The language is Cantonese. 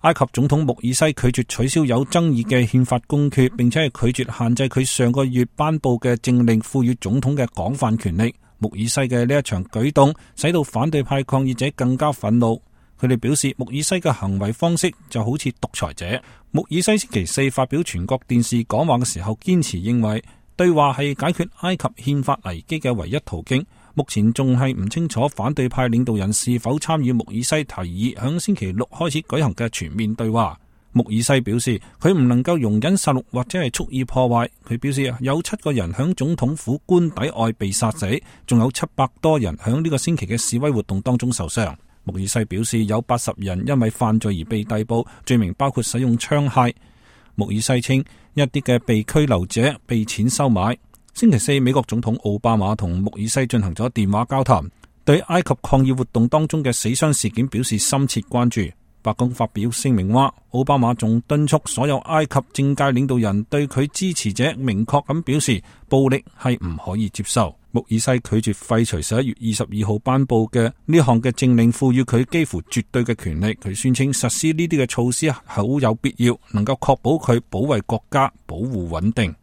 埃及總統穆爾西拒絕取消有爭議嘅憲法公決，並且係拒絕限制佢上個月頒布嘅政令賦予總統嘅廣泛權力。穆爾西嘅呢一場舉動使到反對派抗議者更加憤怒，佢哋表示穆爾西嘅行為方式就好似獨裁者。穆爾西星期四發表全國電視講話嘅時候，堅持認為對話係解決埃及憲法危機嘅唯一途徑。目前仲係唔清楚反對派領導人是否參與穆爾西提議響星期六開始舉行嘅全面對話。穆爾西表示佢唔能夠容忍殺戮或者係蓄意破壞。佢表示有7個人響總統府官邸外被殺死，仲有700多人響呢個星期嘅示威活動當中受傷。穆爾西表示有80人因為犯罪而被逮捕，罪名包括使用槍械。穆爾西稱一啲嘅被拘留者被錢收買。星期四，美國總統奧巴馬同穆爾西進行咗電話交談，對埃及抗議活動當中嘅死傷事件表示深切關注。白宮發表聲明話，奧巴馬仲敦促所有埃及政界領導人對佢支持者明確咁表示，暴力係唔可以接受。穆爾西拒絕廢除11月22號頒布嘅呢項嘅政令，賦予佢幾乎絕對嘅權力。佢宣稱實施呢啲嘅措施好有必要，能夠確保佢保衛國家、保護穩定。